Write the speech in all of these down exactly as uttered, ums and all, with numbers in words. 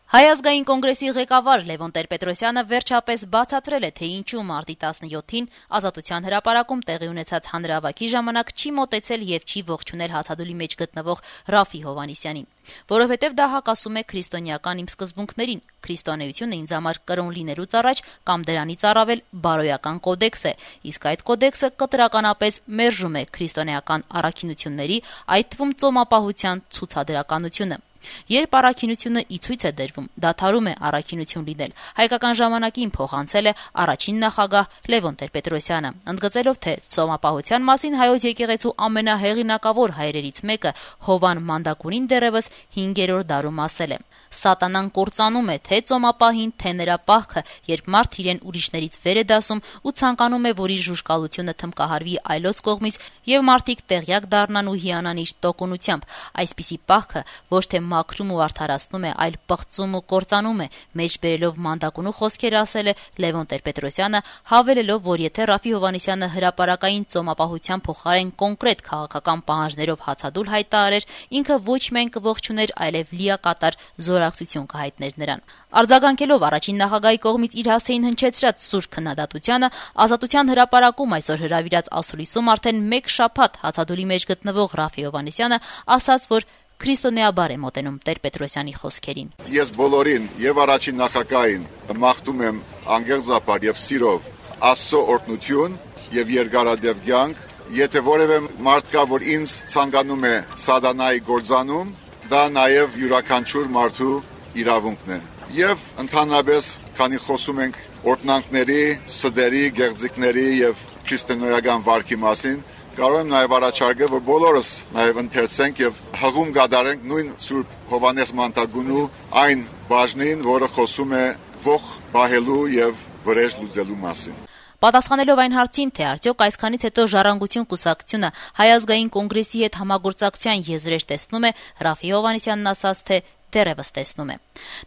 Հայ ազգային կոնգրեսի ղեկավար Լևոն Տեր-Պետրոսյանը վերջապես բացատրել է, թե ինչու մարտի տասնյոթին Ազատության հրապարակում տեղի ունեցած հանրահավաքի ժամանակ չի մոտեցել եւ չի ողջունել հացադուլի մեջ գտնվող Ռաֆի Հովհաննիսյանին, որովհետեւ դա հակասում է քրիստոնեական իմ սկզբունքներին։ Քրիստոնեությունը ինձ համար կրոն լինելուց առաջ կամ դրանից առավել բարոյական կոդեքս է, իսկ այդ կոդեքսը կտրականապես մերժում է քրիստոնեական առաքինությունների, այդ թվում ծոմապահության ցուցադրականությունը։ Երբ առաքինությունը ի ցույց է դրվում, դադարում է առաքինություն լինել։ Հայկական ժամանակին փոխանցել է առաջին նախագահ Լևոն Տեր-Պետրոսյանը, ընդգծելով, թե ծոմապահության մասին հայոց եկեղեցու ամենահեղինակավոր հայրերից մեկը Հովան Մանդակուրին դեռևս հինգերորդ դարում ասել է. «Սատանան կործանում է թե ծոմապահին, թե նրա պահքը, երբ մարդ իրեն ուրիշներից վեր է դասում ու ցանկանում է, որ իր ժուժկալությունը թմկահարվի այլոց կողմից եւ մարդիկ տեղյակ դառնան ու հիանան իր տոկունությամբ։ Այսպիսի պահքը ոչ թե մաքրում ու արդարացնում է, այլ պղծում ու կործանում է», մեջ բերելով Մանդակունու խոսքերը ասել է Լևոն Տեր-Պետրոսյանը, հավելելով, որ եթե Ռաֆի Հովհաննիսյանը հրապարակային ծոմապահության փոխարեն կոնկրետ քաղաքական պահանջներով հացադուլ հայտարարեր, ինքը ոչ միայն կողջուներ, այլև լիակատար զորակցություն կհայտներ նրան։ Արձագանքելով առաջին նախագահի կողմից իր հասցեին հնչեցրած սուր քննադատությանը, Ազատության հրապարակում այսօր հրավիրած ասուլիսում արդեն մեկ շաբաթ հացադուլի մեջ գտնվող Ռաֆի Հովհաննիսյանը ասաց, որ քրիստոնեաբար է մոտենում Տեր-Պետրոսյանի խոսքերին։ Ես բոլորին եւ առաջին նախագահին մաղթում եմ անգեղծապար եւ սիրով Աստծո օրհնություն եւ երկարադեպ կյանք։ Եթե որևէ մարդ կա, որ ինձ ցանկանում է սատանայի գործանում, դա նաեւ յուրաքանչյուր մարդու իրավունքն է։ Եվ ընդհանրապես, քանի խոսում ենք օրհնանքների, սդերի, գեղձիկների եւ քրիստոնեական վարքի մասին, կարող եմ նաև առաջարկել, որ բոլորս նաև ընթերցենք եւ հղում կատարենք նույն Սուրբ Հովհաննես Մանդակունու այն բաժնին, որը խոսում է ողջ բահելու եւ վրեժ լուծելու մասին։ Պատասխանելով այն հարցին, թե արդյոք այսքանից հետո Ժառանգություն կուսակցությունը Հայ ազգային կոնգրեսի հետ համագործակցության եզրեր տեսնում է, Ռաֆի Հովհաննիսյանն ասաց, թե դեռևս տեսնում է։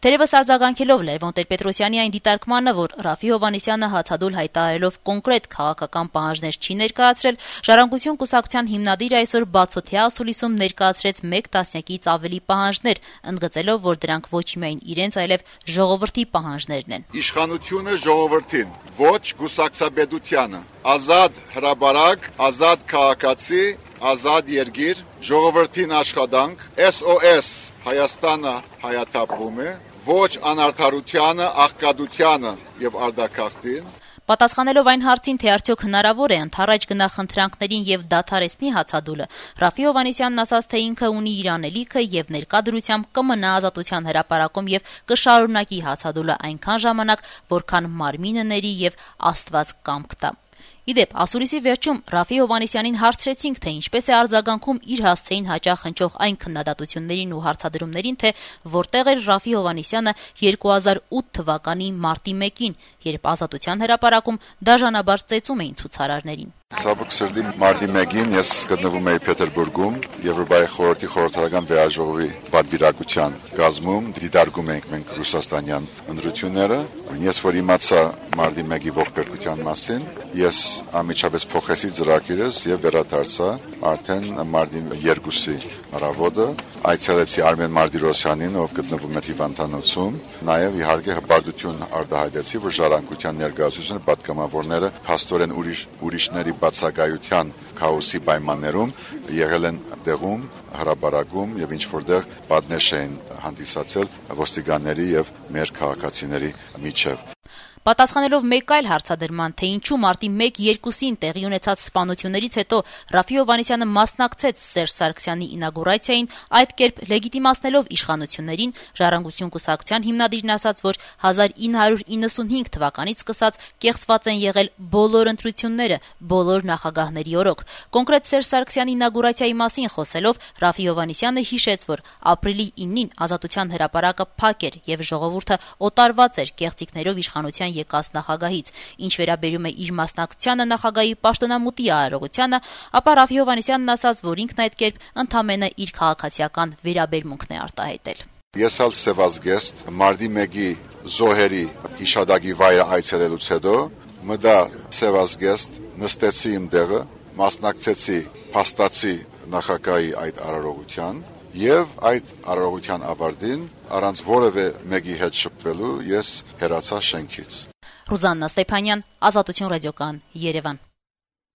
Թերևս արձագանքելով Լևոն Տեր-Պետրոսյանի այն դիտարկմանը, որ Ռաֆի Հովհաննիսյանը հացադուլ հայտարարելով կոնկրետ քաղաքական պահանջներ չի ներկայացրել, Ժառանգություն կուսակցության հիմնադիրը այսօր բացօթյա ասուլիսում ներկայացրեց մեկ տասնյակից ավելի պահանջներ, ընդգծելով, որ դրանք ոչ միայն իրենց, այլև ժողովրդի պահանջներն են։ Իշխանությունը ժողովրդին, ոչ կուսակցաբեդությանը, ազատ հրապարակ, ազատ քաղաքացի, ազատ երկիր, ժողովրդին աշխատանք, S O S Հայաստանը հայաթափվում է, ոչ անարդարությանը, աղքատությանը եւ արդակախտին։ Պատասխանելով այն հարցին, թե արդյոք հնարավոր է ընդառաջ գնա խնդրանքներին եւ դադարեցնի հացադուլը, Ռաֆի Հովհաննիսյանն ասաց, թե ինքը ունի իր անելիքը եւ ներկա դրությամբ կմնա Ազատության հրապարակում եւ կշարունակի հացադուլը այնքան ժամանակ, որքան մարմինը ների եւ Աստված կամք տա։ Իդեպ, ասուլիսի վերջում Ռաֆի Հովհաննիսյանին հարցրեցինք, թե ինչպես է արձագանքում իր հասցեին հաճախ հնչող այն քննադատություններին ու հարցադրումներին, թե որտեղ էր Ռաֆի Հովհաննիսյանը երկու հազար ութ թվականի մարտի մեկին, երբ Ազատության հրապարակում դաժանաբար ծեծում էին ցուցարարներին։ Ցավոք սրտի մարտի մեկին ես գտնվում էի Պետերբուրգում Եվրոպայի խորհրդի խորհրդարական վերաժողովի պատվիրակության կազմում, դիտարկում էինք մենք ռուսաստանյան ընտրությունները։ Ես որ իմացա մարտի մեկի ողբերգության մասին, ես ամիջապես փոխեցի ծրագիրս եւ վերադարձա արդեն մարտի երկուսի առավոտը, այցելեցի Արմեն Մարտիրոսյանին, ով գտնվում էր հիվանդանոցում, նաեւ իհարկե հպարտություն արտահայտեցի, որ Ժառանգության ներկայացուցիչները պատգամավորները փաստորեն ուրիշ ուրիշների բացակայության քաոսի պայմաններում եղել են տեղում, հրապարակում եւ ինչ որտեղ պատնեշ էին հանդիսացել ոստիկանների եւ մեր քաղաքացիների միջև։ Պատասխանելով մեկ այլ հարցադրման, թե ինչու մարտի մեկ-երկուսին տեղի ունեցած սպանություններից հետո Ռաֆի Հովհաննիսյանը մասնակցեց Սերժ Սարգսյանի ինագուրացիային, այդ կերպ լեգիտիմացնելով իշխանություններին, Ժառանգություն կուսակցության հիմնադիրն ասաց, որ հազար ինը հարյուր իննսունհինգ թվականից սկսած կեղծված են եղել բոլոր ընտրությունները, բոլոր նախագահների օրոք։ Կոնկրետ Սերժ Սարգսյանի ինագուրացիայի մասին խոսելով Ռաֆի Հովհաննիսյանը հիշեց, որ ապրիլի իննին Ազատության հրապարակը փակ էր եւ ժողովուրդը օտարված էր կեղծիքներով իշխանության եկած նախագահից։ Ինչ վերաբերում է իր մասնակցությանը նախագահի պաշտոնամուտի արարողությանը, ապա Ռաֆի Հովհաննիսյանն ասաց, որ ինքն այդ կերպ ընդամենը իր քաղաքացիական վերաբերմունքն է արտահայտել։ Ես ալ սևազգեստ մարտի մեկի զոհերի հիշադակի վայրը այցելելուց հետո մտա սևազգեստ, նստեցի իմ տեղը, մասնակցեցի փաստացի նախագահի այդ արարողության եւ այդ արարողության ավարտին առանց որևէ մեկի հետ շփվելու ես հեռացա շենքից։ Ռուզաննա Ստեփանյան, Ազատություն ռադիոկայան, Երևան։